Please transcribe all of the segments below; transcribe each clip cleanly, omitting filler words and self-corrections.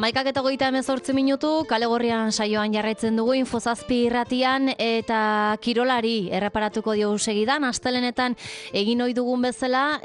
11:38 minutu, Kale Gorrian saioan jarraitzen dugu Infozazpi irratian eta kirolari erreparatuko diogu segidan. Astelenetan egin ohi dugun bezala,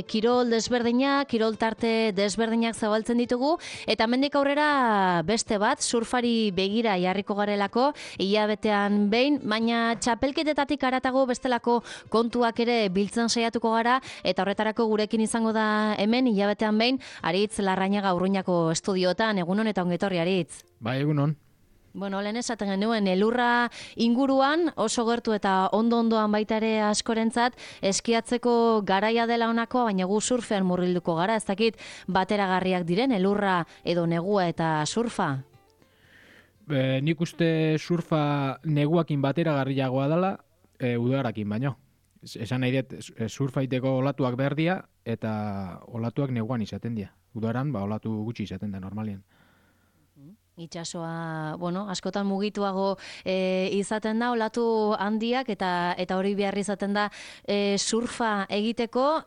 kirol desberdinak, kirol tarte desberdinak zabaltzen ditugu eta hemendik aurrera beste bat, surfari begira jarriko garelako, hilabetean behin, baina txapelketetatik haratago bestelako kontuak ere biltzen saiatuko gara eta horretarako gurekin izango da hemen hilabetean behin Aritz Larrañaga Urruñako estudiotan. Egunon eta ongetorri, Aritz. Bai, egunon. Bueno, lehen esaten genuen, elurra inguruan oso gertu eta ondo-ondoan baita ere askorentzat eskiatzeko garaia dela honako, baina gu surfean murgilduko gara, ez dakit bateragarriak diren elurra edo negua eta surfa? Nik uste surfa neguakin bateragarriagoa dela, udarakin baino. Esan nahi dut, surfaiteko olatuak behar dira eta olatuak neguan izaten dira. Udaran, olatu gutxi izaten da normalian. Itxasoa, askotan mugituago izaten da, olatu handiak eta hori behar izaten da surfa egiteko.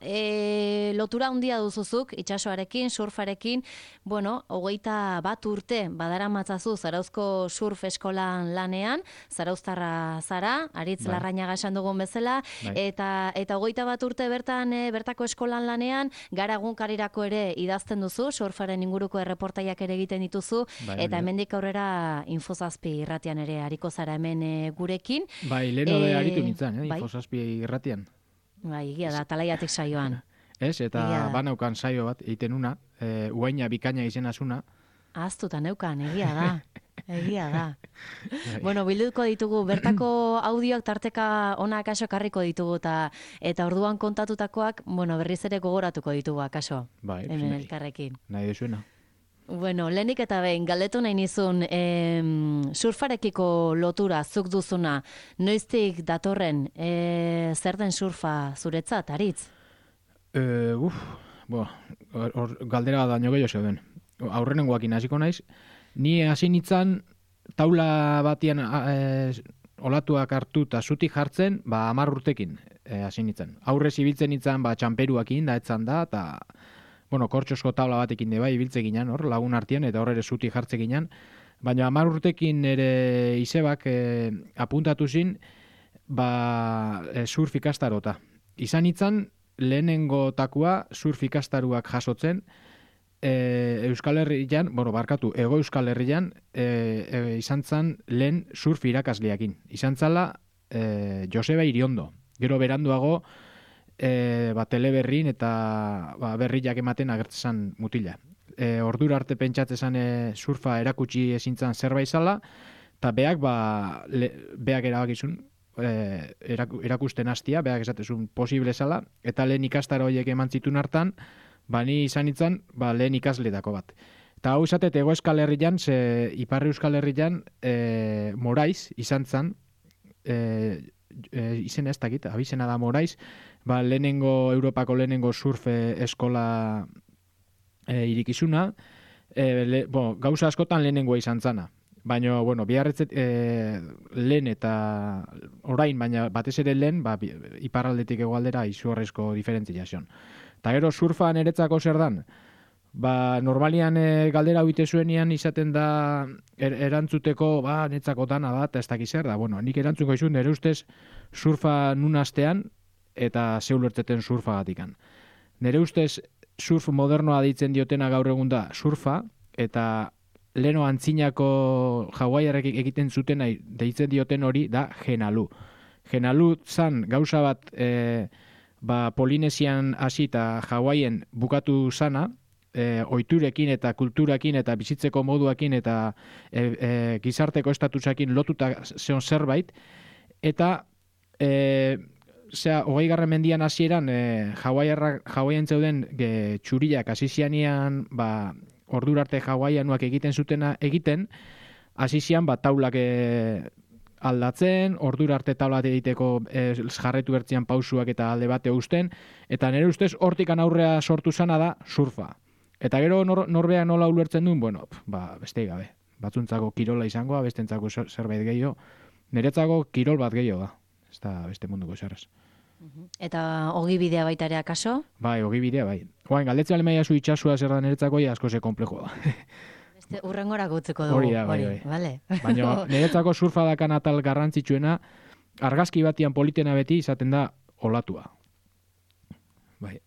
Lotura handia duzuzuk, itxasoarekin, surfarekin, 21 urte badaramatzazu Zarauzko surf eskolan lanean, zarauztarra zara, Aritz Larrañaga esan dugun bezala, eta 21 urte bertako eskolan lanean, gara egunkarirako ere idazten duzu, surfaren inguruko erreportaiak ere egiten dituzu, eta hemendik aurrera Infozazpi irratian ere ariko zara hemen gurekin. Bai, leheno de aritu nintzen, Infozazpi irratian. Bai, egia da, talaiatik saioan. Ez, eta banaukan saio bat, egiten una, uaina bikaina izenazuna. Aztuta neukan, egia da. Egia da. Bilduko ditugu, bertako audioak tarteka ona akaso karriko ditugu eta orduan kontatutakoak, berriz ere gogoratuko ditugu akaso. Bai, hemen elkarrekin. Nahi dezuena. Lehenik eta behin, galdetu nahi nizun, surfarekiko lotura zuk duzuna, noiztik datorren, zer den surfa zuretzat, Aritz? Galdera daño gehiago zeuden. Aurrenengoakin hasiko naiz. Ni hasi nintzen taula batian olatuak hartu eta zutik jartzen, 10 urtekin hasi nintzen. Aurrez ibiltzen nintzen txamperuakin da etzan da, eta kortxosko tabla batekin de bai ibiltze ginen, lagun artean, eta horre zutik jartze ginen. Baina 10 urtekin ere izebak apuntatu zin, surf ikastarota. Izan nintzen, lehenengo takua surf ikastaruak jasotzen, Euskal Herrian, Ego Euskal Herrian, izan zen lehen surf irakasleakin. Izan zala Joseba Iriondo. Gero beranduago, teleberrin eta berriak ematen agertzen mutila. Ordura arte pentsatzen surfa erakutsi ezintzen zerbait zala, eta beak erabakizun erakusten hastia, beak esatezun posible zala, eta lehen ikastaro horiek eman zitun hartan, ni izan nintzen lehen ikasletako bat. Eta hau izatet Ego Euskal Herrian, Iparri Euskal Herrian Moraiz izan zen, izena ez dakit, abizena da Moraiz, Europako lehenengo surf eskola irikizuna, gauza askotan lehenengoa izan zana. Baina, biharretzet lehen eta orain, baina batez ere lehen, iparraldetik hegoaldera izugarrizko diferentzia zion. Eta gero surfa niretzako zer dan? Normalian galdera huite zuenian izaten da erantzuteko niretzako dana da, eta ez dakiz zer da. Nik erantzuko izun, nire ustez surfa nun astean eta zeulertzeten surfa gatikan. Nire ustez surf modernoa deitzen diotena gaur egun da surfa, eta leno antzinako Hawaiiarrek egiten zuten deitzen dioten hori da genalu. Genalu zan gauza bat Polinesian hasi eta Hawaien bukatu zana, ohiturekin eta kulturakin eta bizitzeko moduakin eta gizarteko estatusakin lotuta zeon zerbait, eta 20. mendian hasieran Hawaien zeuden txuriak hasi zianean ordura arte Hawaiianuak egiten zutena egiten, hasi zian taulak aldatzen, ordura arte taulat egiteko jarretu bertzian pausuak eta alde bate usten, eta nire ustez hortikan aurrea sortu zana da surfa. Eta gero norbean nola ulertzen duen, beste gabe. Batzuntzako kirola izangoa, bestentzako zerbait gehiago. Niretzako kirol bat gehiago da. Ez da beste munduko zerrez. Eta ogibidea baita ere akaso? Bai, ogibidea bai. Galdetzen alemaiazu itxasua zer da niretzako, asko ze komplejoa da. Urrengora gutzeko dugu. Hori da, bai. Vale. Baina niretzako surfa dakan atal garrantzitsuena, argazki batian politena beti izaten da olatua. Bai.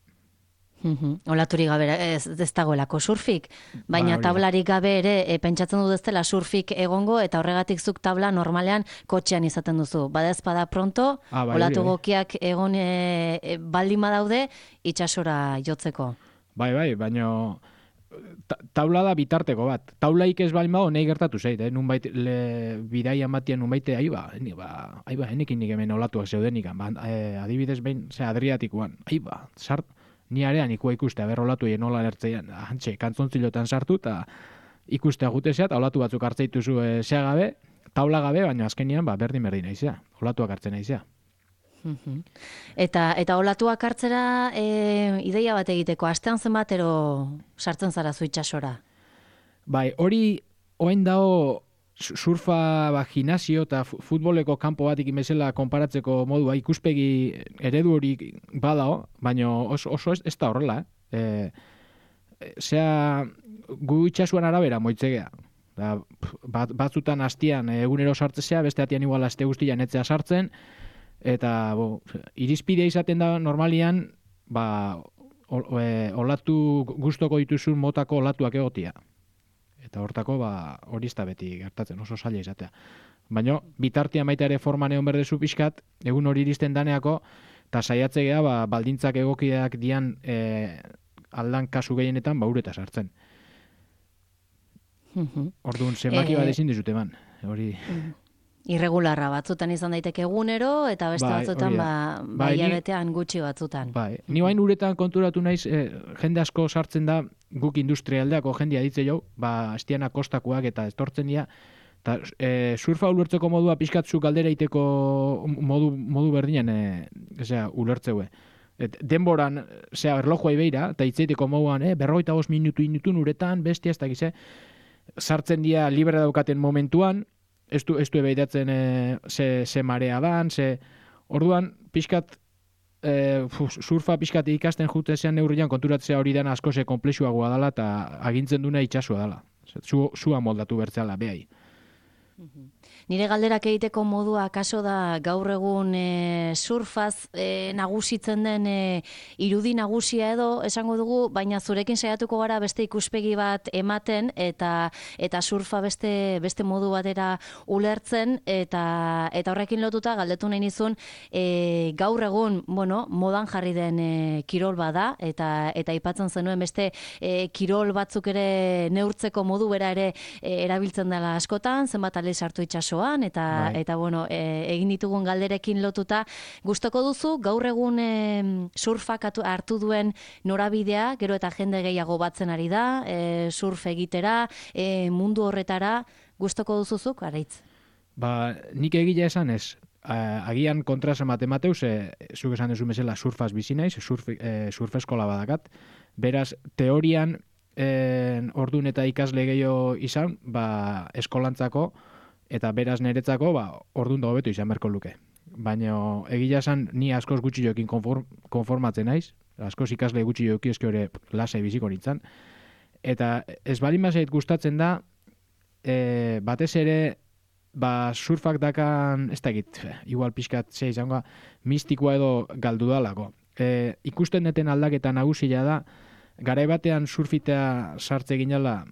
Olaturik gabe ez dagoelako surfik, baina tablarik gabe ere pentsatzen dut ez dela surfik egongo eta horregatik zuk tabla normalean kotxean izaten duzu. Badezpada pronto, olatu gokiak egon baldin badaude itsasora jotzeko. Bai, baina taula da bitarteko bat. Taulaik ez baldin badago nahi gertatu zait, nunbait bidaian batian nunbait enekin nik hemen olatuak zeudenikan. Adibidez behin, Adriatikoan, ni arean ikua ikuste, olatu egin nola lertzean, kantzontzilotan sartu, eta ikustea gutezea, eta olatu batzuk hartzeituzu gabe, taula gabe, baina azkenian berdin naizea, olatuak hartzen naizea. Eta olatuak hartzera ideia bat egiteko, astean zenbatero sartzen zara zu itsasora? Bai, hori oain dago surfa gimnasio eta futboleko kanpo bat ikin bezala konparatzeko modua ikuspegi eredu hori badao, baina oso ez da horrela. Gu itxasuan arabera moitzegea. Batzutan hastian egunero sartzea, beste atian igual aste guztian etzea sartzen, eta irizpidea izaten da normalian olatu gustoko dituzun motako olatuak egotia. Eta hortako hori ez da beti gertatzen, oso zaila izatea. Baina bitartean baita ere forman egon berdezu pixkat, egun hori iristen daneako, eta saiatzea baldintzak egokiak dian aldan kasu gehienetan ureta sartzen. Orduan, zenbaki bat ezin dizute eman. Irregularra batzutan izan daiteke egunero, eta beste batzutan hilabetean gutxi batzutan. Ni bain uretan konturatu naiz, jende asko sartzen da, guk industrialdeako jendea ditze jau, estiana kostakoak eta estortzen dira, eta surfa ulertzeko modua pixkatzu galdera iteko modu berdinen ulertzeue. Denboran, erlojua ibeira, eta itzeiteko moduan, 45 minutun uretan, bestia ez dakize, sartzen dira libre daukaten momentuan, ez du ebeidatzen ze marea dan, orduan, pixkat, surfa pixkat ikasten jutezean neurrian konturatzea hori dana asko komplexuagoa dela eta agintzen duna itxasua dela. Zua moldatu bertzela, behai. Nire galderak egiteko modua kaso da gaur egun surfaz nagusitzen den irudi nagusia edo esango dugu, baina zurekin saiatuko gara beste ikuspegi bat ematen eta surfa beste modu batera ulertzen eta horrekin lotuta galdetu nahi nizun gaur egun, modan jarri den kirol bada eta aipatzen zenuen beste kirol batzuk ere neurtzeko modu bera ere erabiltzen dela askotan, zenbat aldiz sartu itsasoan eta egin ditugun galderekin lotuta gustoko duzu gaur egun surfak hartu duen norabidea, gero eta jende gehiago batzen ari da, surf egitera, mundu horretara, gustoko duzuzuk, Araitz? Nik egila esan ez, agian kontrasan matemateuz, zuk esan duzu mesela surfaz bizi naiz, surf eskola badakat, beraz, teorian ordun eta ikasle gehiago izan, eskolantzako, eta beraz niretzako, ordun da hobeto izan berko luke. Baina egia esan, ni askoz gutxi joekin konformatzen naiz, askoz ikasle gutxi joeki eski hori lasai biziko nintzen. Eta ez bali mazait gustatzen da, batez ere, surfak dakan, ez dakit, igual pixkat ze izango, mistikoa edo galdu dalako. Ikusten deten aldaketa nagusia da, garai batean surfitea sartze ginela,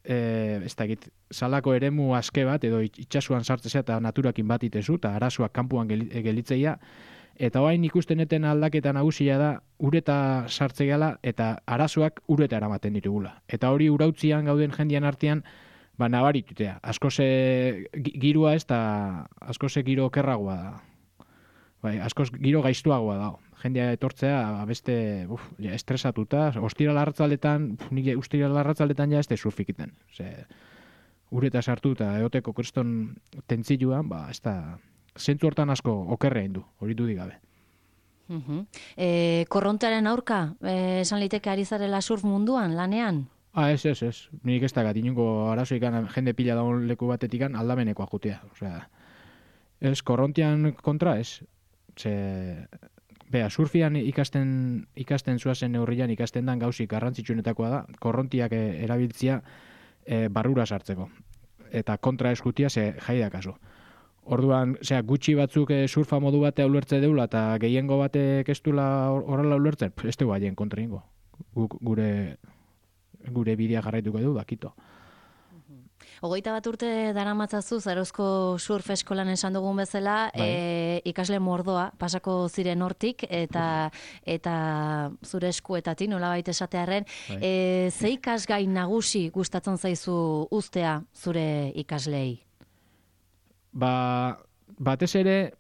ez dakit, salako eremu aske bat, edo itxasuan sartzea eta naturakin bat itezu, eta arazoak kanpuan gelitzeia, eta orain ikusten eten aldaketa nagusia da, ureta sartze gala, eta arazoak ureta eramaten ditugula. Eta hori urautzian gauden jendian artean, nabaritutea. Askoz girua ez da, askoz giro okerragoa da. Askoz giro gaiztuagoa da. Jendea etortzea beste estresatuta, ostiral arratzaletan, nik ostiral arratzaletan ja ez da surfikiten. Ureta sartu eta eoteko kriston tentziluan, ez da, zentzu hortan asko okerrein du, hori dudik gabe. Korrontearen aurka, esan liteke ari zarela surf munduan, lanean? Ez. Nik ez dakat, inungo arazoikan jende pila daun leku batetikan aldamenekoa jutea. Ez, korrontean kontra ez. Surfian ikasten zuazen neurrian ikasten dan gauzik garrantzitsuenetakoa da, korrontiak erabiltzia barrura sartzeko. Eta kontra eskutia ze jaida kasu. Orduan, gutxi batzuk surfa modu batea ulertze deula eta gehiengo batek ez duela horrela ulertzen, ez dugu haien kontra ingo. Gure bidea jarraituko du, bakito. 21 urte daramatzazu Zarozko surf eskolan esan dugun bezala, ikasle mordoa pasako ziren hortik eta zure eskuetatik nolabait esatearren, ze ikasgai nagusi gustatzen zaizu uztea zure ikaslei? Batez ere,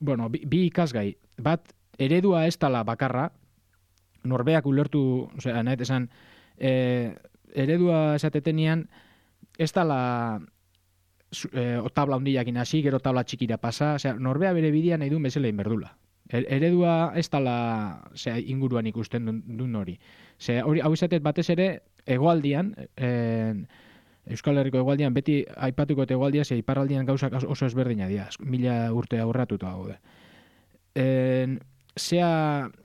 bi ikasgai. Bat, eredua ez dela bakarra, norbeak ulertu, nahet esan, eredua esatetenian, ez dela tabla hundiakin hasi, gero tabla txikira pasa, norbea bere bidean nahi duen bezala inberdula. Eredua ez dela inguruan ikusten duen hori. Hau izatet batez ere, hegoaldian, Euskal Herriko hegoaldian, beti aipatuko eta hegoaldia, iparraldian gauzak oso ezberdina dira, 1000 urte aurratuta gaude.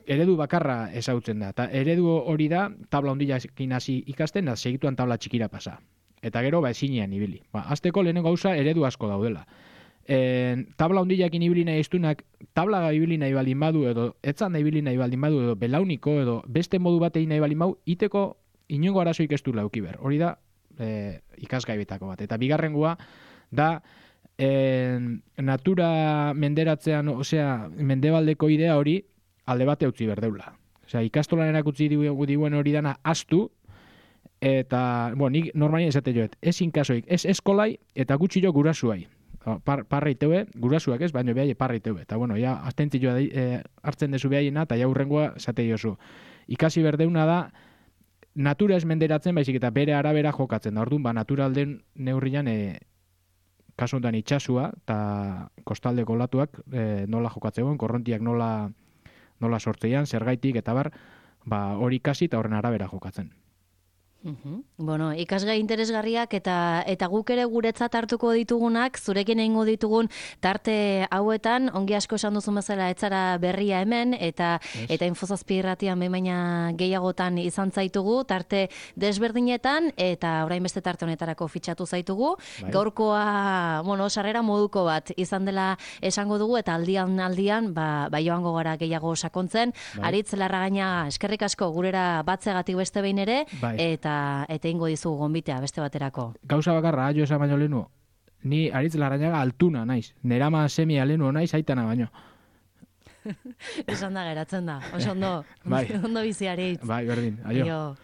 Eredu bakarra ezautzen da, eta eredu hori da, tabla hundiakin hasi ikasten, da segituan tabla txikira pasa. Eta gero, ezinean ibili. Azteko lehenengo gauza eredu asko daudela. Tabla hundiakin ibili nahi iztunak, tabla ibili nahi baldin badu, edo etzan nahi ibili nahi baldin badu, edo belauniko, edo beste modu batei nahi baldin badu, iteko inongo arazoik ez du laukiber. Hori da, ikasgai betako bat. Eta bigarrengoa da, natura menderatzean, mendebaldeko idea hori, alde bate utzi berdeula. Ikastolan erakutzi diguen hori dana astu, eta, nik normalien esate joet, ez inkasoik, ez eskolai, eta gutxi jo gurasuai. Parra iteue, gurasuak ez, baina behai parra iteue. Eta, astentzioa hartzen dezu behaiena, eta jaurrengoa esate jozu. Ikasi berdeuna da, natura ez menderatzen, baizik eta bere arabera jokatzen da. Orduan, naturalden neurrian, kasu honetan itxasua, eta kostaldeko olatuak nola jokatzegoen, korrontiak nola sortzeian, zergaitik, eta hori ikasi eta horren arabera jokatzen. Ikasgai interesgarriak eta guk ere guretzat hartuko ditugunak, zurekin egingo ditugun tarte hauetan, ongi asko esan duzun bezala etzara berria hemen, eta Infozazpi irratian baina gehiagotan izan zaitugu, tarte desberdinetan, eta orain beste tarte honetarako fitxatu zaitugu. Gaurkoa, sarrera moduko bat izan dela esango dugu, eta aldian, joango gara gehiago sakontzen. Aritz Larragaina, eskerrik asko gurera batzegatik beste behin ere, eta ingo dizugu gonbitea beste baterako. Gauza bakarra, jo esan baino lehenu, ni Aritz Larrañaga altuna naiz, nerama semia lehenu naiz aitana baino. Esan da geratzen da, oso ondo bizi Aritz. Berdin, aio.